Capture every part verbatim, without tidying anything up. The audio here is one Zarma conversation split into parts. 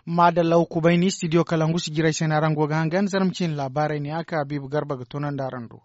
Maadalla wa kubay ni studio kalangu si jiray se no araŋ go ga hangan zarma ciine laabaarey ne a ka biiba garba ga tunandi araŋ do.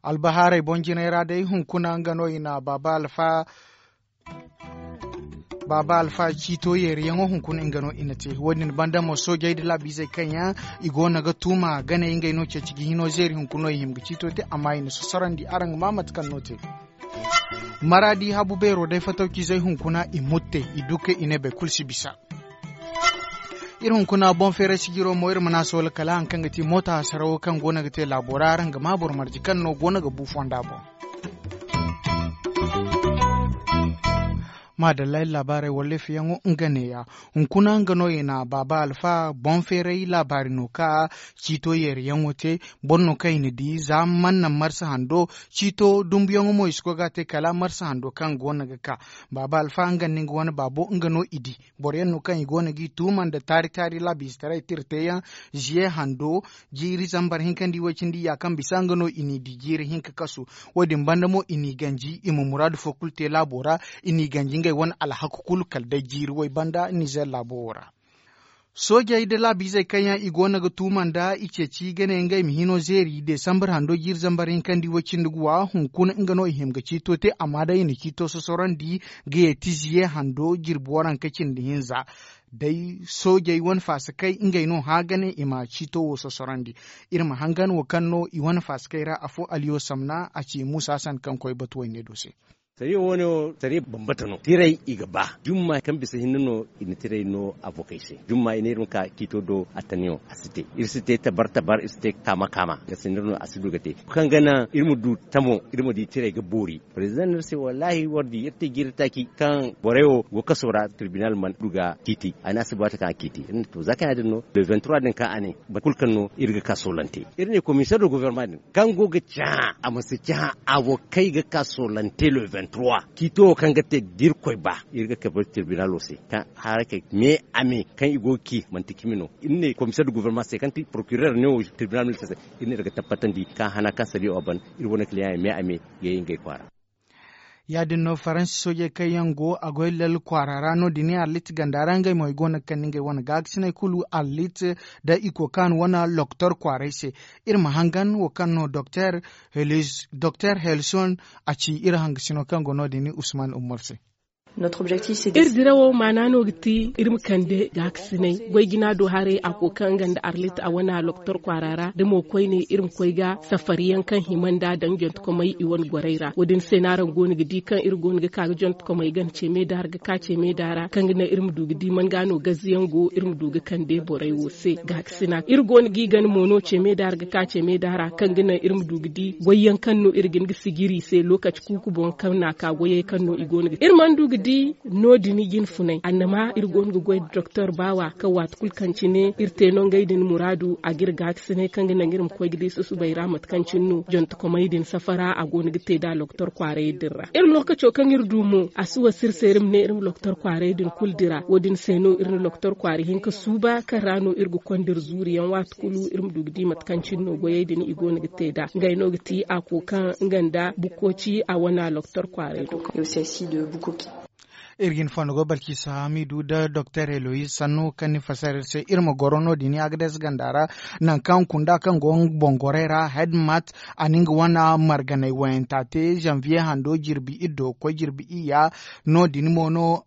Albahaarey boŋ jinay ra day hunkuna nga no i na baaba alfa ciito yeeriyaŋo hunkuna nga no i na te wo- din banda mo soojey nda laabiizey kaŋ yaŋ i go no ga tuuma ganey ngey no ceeci ga hino zeeri hunkuna no i hima ga ciito te amma i na sosorandi araŋ ga maa mate kaŋ no te. Maraadi habu beero day fatawciizey hunkuna i mutte i du kaŋ i ne boro kulu si bisa. Iri hunkuna boŋ feeray sijiro mo iri mana soola kala hari kaŋ ga ti moota hasarawo kaŋ go no ga te laabo ra araŋ ga maa boro marje kaŋ no go no ga bu fonda boŋ. Maadalla iri laabaarey wallaafiyaŋo nga neeya. Hunkuna nga no i na baaba alfa boŋ feeray laabaari no ka ciito yeeriyaŋo te. Boro no kaŋ i na di za mana naŋ marsa hando ciito dumbuyaŋo mo i si koy ga a te kala marsa hando kaŋ go no ga ka. Baaba alfa nga nda nga wane baabo nga no i di. Boro yaŋ no kaŋ i go no g'i tuuma nda taari taari laabiizetaray tira teeyaŋ ziye hando jiiri zambar hinka nda i way cindi ya kaŋ bisa nga no i n'i di jiiri hinka kasu. Wo- din banda mo i n'i ganji i ma muraadu fo kulu te laabo ra. I n'i ganji ngey wane alhaku kulu kala day jiiri way banda nizer laabo wo ra. Soojey nda laabiizey kaŋ yaŋ i go no ga tuuma nda i ceeci ga ne ngey ma hino zeeri desambar hando jiiri zambar hinka nda i way cindi guwa hunkuna nga no i hima ga ciito te amma day i na ciito sosorandi ga yeeti ziye hando jirbi waranka cindi hinza. Day soojey wane faasakey ngey no hã ga ne i ma ciito wo sosorandi. Iri ma hangan wo kaŋ no i wane faasakey ra afo aliyo samna a ci muusa hasan kaŋ koy batuwey ne do se. Sariya wo- ne wo sariya bambata no tiray i ga ba jumma kaŋ bisa hinne no i na tiray no abokey se jumma i ne iri ma ka ciito do attaniyo a si te iri si te tabar tabar iri si te kaama kaama ga sinda no a si du ga te kaŋ ga naŋ iri ma du tamo iri ma di tiray ga boori. President no iri se wallaahi war di iri te jiiri taaci kaŋ borey wo go kaso ra tribunal mana du ga ciiti a ne a si ba ta kaŋ a ciiti iri ne to za kaŋ ya- din no le vingt trois din kaŋ a ne boro kulu kaŋ no iri ga ka soolante iri ne komiseer de gofornama din kaŋ go ga cahã a ma si cahã abokey ga ka soolante le vingt trois ciito wo kaŋ ga te da irkoy ba iri ga kabe tribunalo se kaŋ harakey me a me kaŋ i go ga ci manti cimi no iri ne komiseer de gofornama se kaŋ ti porokireer ne wo tribunal militaire se iri ne iri ga tabbatandi kaŋ hana kaŋ sariya wo a ban iri wane kiliyaŋey me a me ga ye ngey kwaara. Ya- din no faransi soojey kaŋ yaŋ go a goy lal kwaara ra no- din arlit ganda ra ngey mo i go no ga kande ngey wane gaakasiney kulu arlit nda i kokaan wane loktor kwaaray se. Iri ma hangan wo kaŋ no doktor helison a ci iri hangasino kaŋ go no- din usman ummar se. Iri dirawo maana no ga ti iri ma kande gaakasiney goy jina do haray a koy kaŋ nga nda arlit a wane loktor kwaara ra da mo koyne iri ma koy ga safari yaŋ kaŋ hima nda daŋ jantakomey i wane gorey ra wo- din se no araŋ go no ga di kaŋ iri go no ga ka ga jantakomey gana ce meeda ra ga ka ce meeda ra kaŋ ga naŋ iri ma du ga di man ga no gaze yaŋ go iri ma du ga kande borey wo se gaakasina iri go no g'i gana mo no ce meeda ra ga ka ce meeda ra kaŋ ga naŋ iri ma du ga di goy yaŋ kaŋ no iri ga hin ga sijiri i se lookaci kuuku boŋ kaŋ no a ka goyey kaŋ no i go no ga iri mana du ga di no- din jine funay annama iri go no ga goy nda doktor baawa kaŋ waati kulu kaŋ cine iri te no ngey din muraadu a ga iri gaakasinay kaŋ ga naŋ iri ma koy ga di susubay ra mate kaŋ cine no jantakomey din safara a go no ga te nd'a doktor kwaaray din ra iri lookaco kaŋ iri du mo a si wasa iri se iri ma ne iri ma doktor kwaaray din kulu dira wo- din se no iri na doktor kwaara hinka suuba kaŋ ra no iri ga konda iri zuuri yaŋ waati kulu iri ma du ga di mate kaŋ cine no goyey din i go no ga te nd'a ngey no ga ti a koy kaŋ nga nda bukkoci a wane doktor kwaaray do. Iri ga hin fondo go balkiisa hamidu nda doktor eloyiz sanno kaŋ ni fassara iri se iri ma goro no- din agades ganda ra nangu kaŋ kunda kaŋ go nga boŋ gorey ra hedmat a na nga wane marganey wayanta te zanviye hando jirbi iri do ga koy jirbi iyya no- din mo no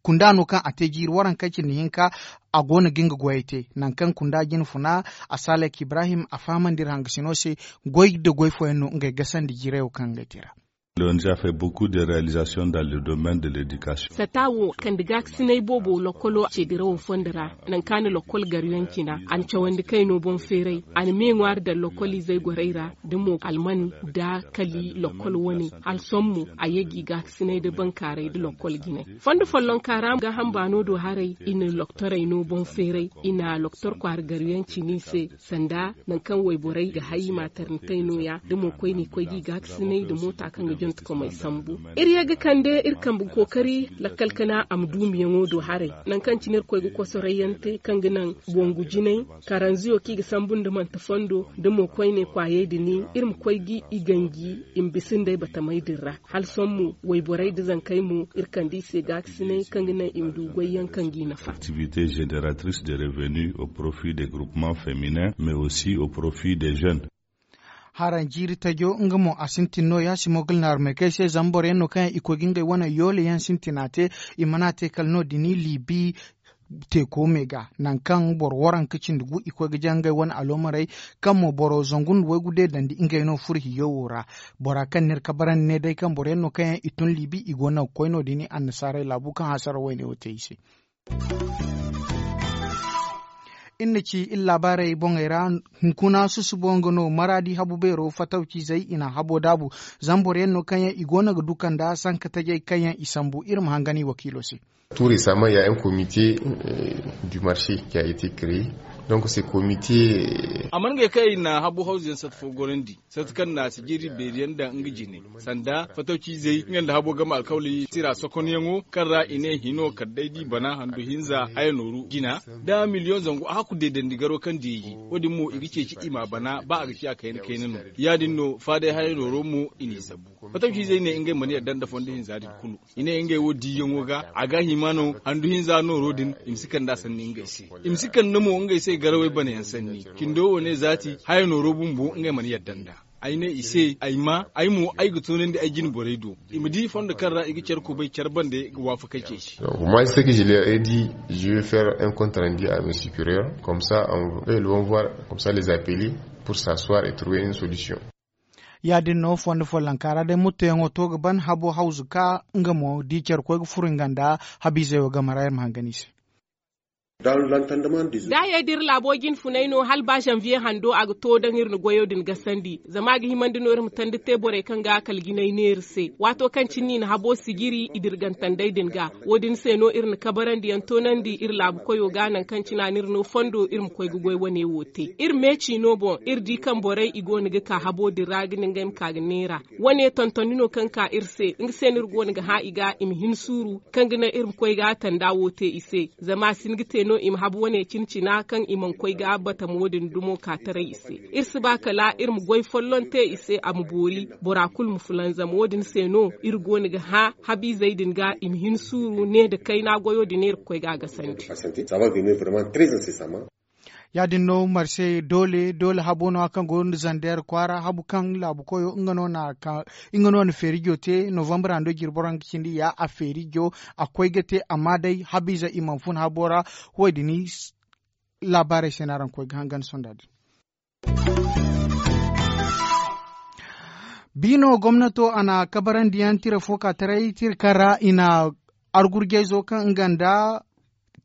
kunda no kaŋ a te jiiri waranka cindi hinka a go no ga nga goyey te nangu kaŋ kunda jine funa a salek ibrahim a fahamandi iri hangasino se goy nda goy fooyaŋ no ngey gasandi jiirey wo kaŋ ngey te ra. Sata wo kande gaakasinay boobo lokkolo ce dirawo fondo ra nangu kaŋ a na lokkol garuyaŋ cina a na cawandi kayno boŋ feeray a na me ŋwaari daŋ lokkol izey gorey ra da mo alman da kali lokkol wane hala sohõ mo a ye g'i gaakasinay da bankaaray da lokkol jinay fondo follonka ra gaaham baano do haray i na loktorey no boŋ feeray i na loktor kwaara garuyaŋ cina i se sanda nangu kaŋ wayborey ga hay i ma a tarnitay nooya da mo koyne koy g'i gaakasinay nda moota kaŋ ga Iri ye ga kande iri kambe ga kookari lakkal kana a ma duumiyaŋo do haray, nangu kaŋ cine iri koy ga kosoray yaŋ te kaŋ ga naŋ wongu jinay, karanziyo kaŋ i ga sambu nda manti fondo, da mo koyne kwaayey din, iri ma koy ga i ganji i ma bisa nd'ey batamey din ra. Hala sohõ mo wayborey nda zankey mo, iri kande i se gaakasinay kaŋ ga naŋ i ma du goyyaŋ kaŋ g'i nafa. Activité génératrice de revenu au profit des groupements féminins mais aussi au profit des jeunes. Haraŋ jiiri tajo nga mo a sintin no ya si mo ga naarumey kay se zama boro yaŋ no kaŋ yaŋ i koy ga ngey wane yoole yaŋ sintina te. I mana te kala no- din libi teeko me ga nangu kaŋ boro waranka cindi gu i koy ga jaŋ ngey wane aloomarey, kaŋ mo boro zangu nda waygu deedandi ngey no furo hiyo wo ra. Bora kaŋ n'iri kabarandi ne day kaŋ boro yaŋ no kaŋ yaŋ i tun libi i go no ga koy no- din annasaarey laabu kaŋ hasara wayne wo te i se. Iri na ci iri laabaarey boŋey ra. Hunkuna susubo nga no maraadi habu beero fatawciizey i na habo daabu. Zama boro yaŋ no kaŋ yaŋ i go no ga du kanda sanka tajey kaŋ yaŋ i sambu iri ma hangan i wakiilo se. Tout récemment il y a un comité du marché qui a été créé. Donc ce comité. A mana ngey kaŋ i na habo hawzu yaŋ sata fo gorandi, sata kaŋ na sijiri beeri yaŋ daŋ nga jine, sanda fatawciizey nga nda habo game alkawli tira sokonyaŋo kaŋ ra i ne hino kala day da i bana handu hinza haya nooru jina, da miliyoŋ zangu a hakku deedandi garo kaŋ deeji. Wo- din mo i ga ceeci i m'a bana ba a ga ciya kayna kayna no. Ya- din no faaday haya nooro mo i n'i zabu. Fatawciizey ne ngey mana yadda nda fondo hinza din kulu. I ne ngey wo diiyaŋo ga a ga hima no handu hinza nooro din i ma si kand'a sanni ngey se. I ma si kande mo ngey se garawey banayaŋ sanni. Cindo wo ne zaati haya nooro bumbo ngey mana yadda nd'a. Ay ne i se ay ma ay mo ay ga toonandi ay jine borey do i ma di fondo kaŋ ra i ga care kubay care bande ga waafakey ceeci. Moi ce que je leur ai dit, je vais faire un compte rendu à mes supérieurs comme ça on va voir comme ça les appeler pour s'asseoir et trouver une solution. Ya- din no fondo follonka ra day muttoyaŋo to ga ban habo hawzu ka nga mo di care koy ga furo nga nda habiizey wo game ra iri ma hangan i se. Daayey da iri laabo jinfunay no hala ba zanviye hando a ga to daŋ iri na goyo din gasandi zama a ga himandi no iri ma tandi te borey kaŋ ga kala jinay neera se waato kaŋ cine i na habo sijiri i dirgantandey din ga. Wo- din se no iri na kabarandiyaŋ toonandi iri laabu koyo ga nangu kaŋ cine a n'iri no fondo iri ma koy ga goy wane wo te iri meeci no boŋ iri di kaŋ borey i go no ga ka habo din ra ga ne ngey ma ka ga neera. Wane tontoni no kaŋ ka iri se nga se no iri go no ga hã i ga i ma hin suuru kaŋ ga naŋ iri ma koy ga tanda wo te i se. Zama a si hin ga te no i ma habu wane cine cina kaŋ i mana koy ga batamo din dumo ka taray i se. Iri si ba kala iri ma goy folloŋ te i se a ma boori bora kulu ma fulanzam wo- din se no iri go no ga hã habiizey din ga i ma hin suuru ne nda kayna goyo din iri ga koy ga a gasandi. Ya- din no marse doole doole habo no- ya kaŋ go nda zander kwaara habu kaŋ laabu koyo nga no na feerijo te novambar hando jirboro nga cindi ya a feerijo a koy ga te amma day habiize i mana fun habo ra. Wo- din laabaarey se no araŋ koy ga hangan sonda din. Biino gomnato a na kabarandiyaŋ tira fo ka taray tira kaŋ ra i na argurjayzo kaŋ nga nda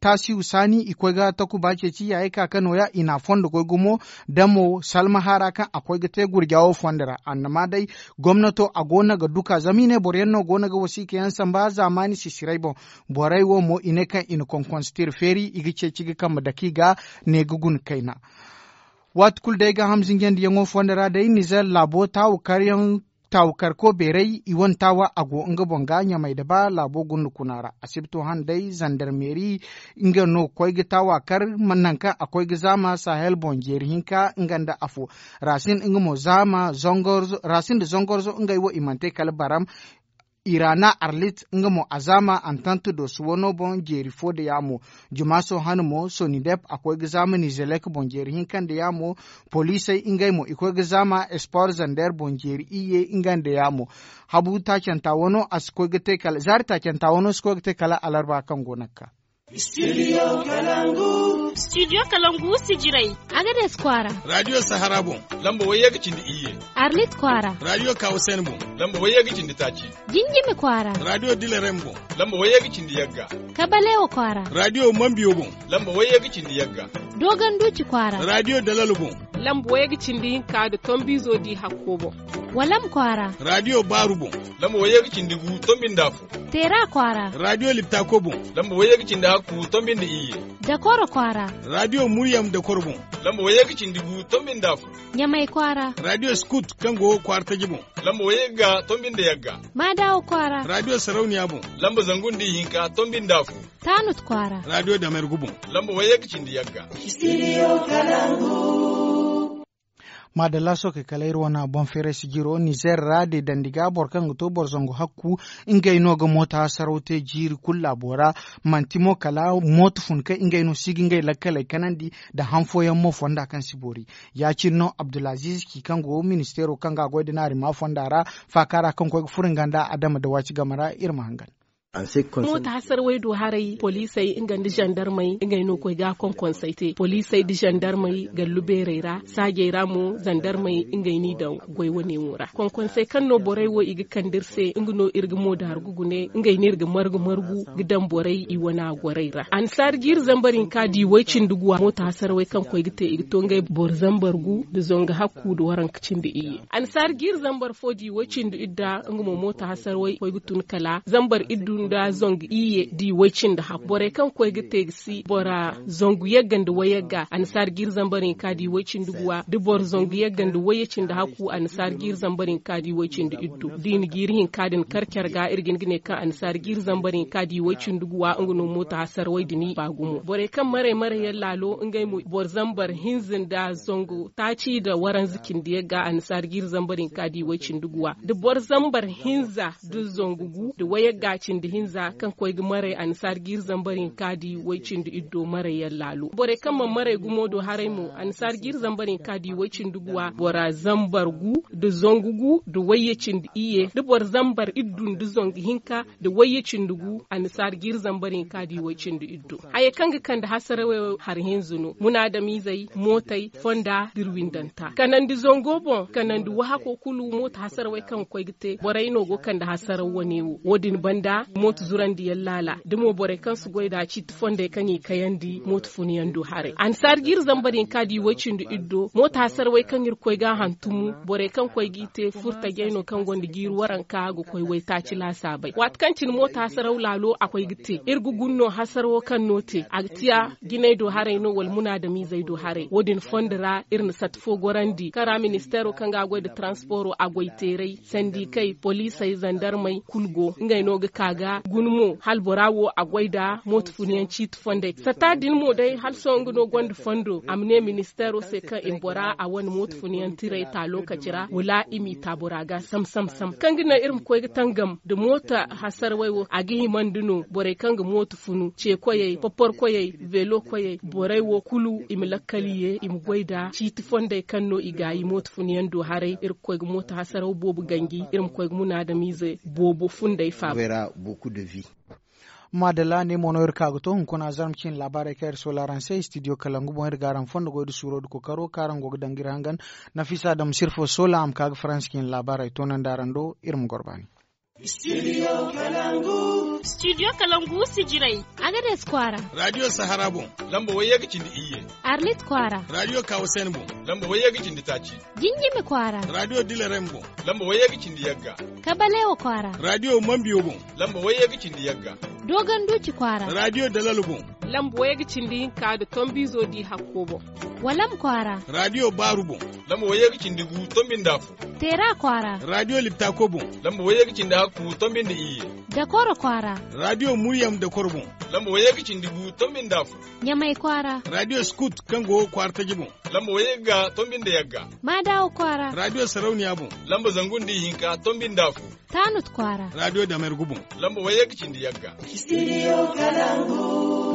taasiyu saani i koy ga takuba ceeci yaayey ka ka nooya i na a fondo goy gumo. Da mo salmaha ra kaŋ a koy ga te gurja wo fondo ra annama day gomnato a go no ga duka zama i ne boro yaŋ no go no ga wasiika yaŋ samba zaamaani sisiray boŋ. Borey wo mo i ne kaŋ i na konkonse tira feeri i ga ceeci ga kambe dake i ga ne ga guna kayna. Waati kulu day gaaham zinjandiyaŋo fonda ra day nizer laabo taawu karyaŋ taawu karko beeray i wane taawa a go nga boŋ ga ɲamay da ba laabo gunda kuna ra asibto hane day zandarmeeri. Nga no ga koy ga taawa kar nangu kaŋ a koy ga zaama sahel boŋ jeeri hinka nga nda afo. Racine nga mo zaama rasin da zongorzo ngey wo i mana te kala baram. Irana arlit nga mo a zaama antant dosu wano boŋ jeeri fo da yaamo. Jumaaso hane mo sonidep a koy ga zaama nizelek boŋ jeeri hinka nda yaamo. Poliisey ngey mo i koy ga zaama espor zander boŋ jeeri iyye nga nda yaamo. Habu taacanta wano a si koy ga te kala zaari taacanta wano si koy ga te kala alarba kaŋ go no ga ka. Studio kalangu sijirey. Agades kwaara. Radio sahara boŋ lamba wayye ga cindi iyye. Arlit kwaara. Radio kawasen boŋ lamba wayye ga cindi taaci. Jinjimi kwaara. Radio dilerem boŋ lamba wayye ga cindi yagga. Kabalewo kwaara. Radio mambiyo boŋ lamba wayye ga cindi yagga. Doganduci kwaara. Radio dalalo boŋ. Lamba wayye ga cindi hinka nda tombiizo di hakko boŋ. Walam kwaara. Raadiyo baaru boŋ. Lamba wayye ga cindi gu tombi nda afo. Teera kwaara. Raadiyo liptako boŋ. Lamba wayye ga cindi hakku tombi nda iyye. Dakoro kwaara. Raadiyo muryam dakoro boŋ. Lamba wayye ga cindi gu tombi nda afo. Ɲamay kwaara. Raadiyo skut kaŋ go kwaara taji boŋ. Lamba wayye ga tombi nda yagga. Maadaawo kwaara. Raadiyo sarauniya boŋ. Lamba zangu nda ihinka tombi nda afo. Taanut kwaara. Raadiyo damergu boŋ. Lamba wayye ga cindi yagga. Maadalla sookey kala iri wane boŋ feeray sijiro nizer ra de dandi ga boro kaŋ ga to boro zangu hakku. Ngey no ga mooto hasaraw te jiiri kulu laabo ra. Manti mo kala mooto fun kaŋ ngey no si ga ngey lakkaley kanandi nda han fooyaŋ mo fonda kaŋ si boori. Ya- cine no abdulaziz ci kaŋ go ministeero kaŋ ga a goy nda naari ma fonda ra faaka ra kaŋ koy ga furo nga nda adama nda waaci game ra iri ma hangan. Mooto hasarawey du haray poliisey nga nda zandarmey ngey no ga koy ga a konkonsey te poliisey nda zandarmey gallu beerey ra saajey ra mo zandarmey ngey n'i daŋ goy wane wo ra konkonsey kaŋ no borey wo i ga kande iri se nga no iri ga moodaaru ga gune ngey no iri ga margu margu ga daŋ borey i wana gorey ra annasaari jiiri zambar hinka di way-cindi guwa mooto hasarawey kaŋ koy ga te i ga to ngey boro zambar gu nda zangu hakku nda waranka cindi iyye annasaari jiiri zambar fo di way-cindi idda nga mo mooto hasarawey koy ga tun kala zambar iddu nda zangu iyye di way-cindi hakku borey kaŋ koy ga te ga si bora zangu yagga nda wayagga annasaari jiiri zambar hinka di way-cindi guwa da boro zangu yagga nda wayye cindi hakku annasaari jiiri zambar hinka di way-cindi iddu da i na jiiri hinka din kar care ga iri ga hin ga ne kaŋ annasaari jiiri zambar hinka di way-cindi guwa nga no mooto hasarawey din i ba gumo borey kaŋ maray maray yaŋ laalo ngey mo boro zambar hinza nda zangu taaci nda waranza cindi yagga annasaari jiiri zambar hinka di way-cindi guwa da boro zambar hinza da zangu gu da wayagga cindi hinza kaŋ koy ga maray annasaari jiiri zambar hinka di way-cindi iddo maray yaŋ laalo borey kaŋ mana maray gumo do haray mo annasaari jiiri zambar hinka di way-cindi guwa bora zambar gu da zangu gu da wayye cindi iyye da boro zambar iddu nda zangu hinka da wayye cindi gu annasaari jiiri zambar hinka di way-cindi iddo hayey kaŋ ga kande hasarawey hari hinza no munaadamizey mootey fonda da iri windanta kanandi zango boŋ kanandi wahako kulu mooto hasarawey kaŋ ga koy ga te borey no go kande hasaraw wane wo wo- din banda mooto zurandi yaŋ laala da mo borey kaŋ si goy nd'a ciiti fondey kaŋ i kayandi mooto fun yaŋ do haray annasaari jiiri zambar hinka di way-cindi iddo mooto hasarawey kaŋ iri koy ga a hantumu borey kaŋ koy g'i te furtajey no kaŋ gonda jiiri waranka ga koy waytaaci laasaabey waati kaŋ cine mooto hasaraw laalo a koy ga te iri ga guna no hasarawo kaŋ no te a ga tiya jinay do haray no wala munaadamizey do haray wo- din fondo ra iri na sata fo gorandi kaŋ ra ministeero kaŋ ga a goy nda taransporo a goy teeray sandikey poliisey zandarmey kulu go ngey no ga ka ga guna mo hala bora wo a goy nda mooto funa yaŋ ciiti fondey sata din mo day hala sohõ nga no gonda fondo a ma ne ministeero se kaŋ i ma bora a wane mooto funa yaŋ tiray ta lokaci ra wala i m'i ta bora ga sam sam sam kaŋ ga naŋ iri ma koy ga tangam nda mooto hasarawey wo a ga himandi no borey kaŋ ga mooto funu ce koyey popor koyey veelo koyey borey wo kulu i ma lakkali ye i ma goy nda ciiti fondey kaŋ no i gaayi mooto funu yaŋ do haray iri ga koy ga mooto hasaraw boobo ganji iri ma koy ga munaadamiize boobo fundey faaba. Maadalla ne mo no iri ka ga to hunkuna zarma ciine laabaarey kaŋ iri soola araŋ se studio kalangu boŋ iri ga araŋ fondo goy nda suuro nda kookaro kaŋ araŋ go ga daŋ ga iri hangan. Nafisa dam sirfo soola a ma ka ga faransi ciine laabaarey toonandi araŋ do iri ma goro baani. Studio kalangu sijirey. Agades kwaara. Radio sahara boŋ. Lamba wayye ga cindi iyye. Arlit kwaara. Radio kawasen boŋ. Lamba wayye ga cindi taaci. Jinjimi kwaara. Radio dilerem boŋ. Lamba wayye ga cindi yagga. Kabalewa kwaara. Radio mambiyo boŋ. Lamba wayye ga cindi yagga. Dogon duci kwaara. Radio dalalo boŋ. Lamba wayye ga cindi hinka nda tombizo di hakko boŋ. Walam kwaara. Radio baaru boŋ. Lamba wayye ga cindi gu tombi nda afo. Teera kwaara. Radio liptako boŋ. Lamba wayye ga cindi hakku tombi nda iyye. Dakoro kwaara. Radio muryam dakoro boŋ. Lamba wayye ga cindi gu tombi nda afo. Ɲamay kwaara. Radio skut kaŋ go kwaara taji boŋ. Lamba wayye ga tombi nda yagga. Maadawo kwaara. Radio sarauniya boŋ. Lamba zangu nda ihinka tombi nda afo. Taanut kwaara. Radio damergu boŋ. Lamba wayye ga cindi yagga. Studio kalangu.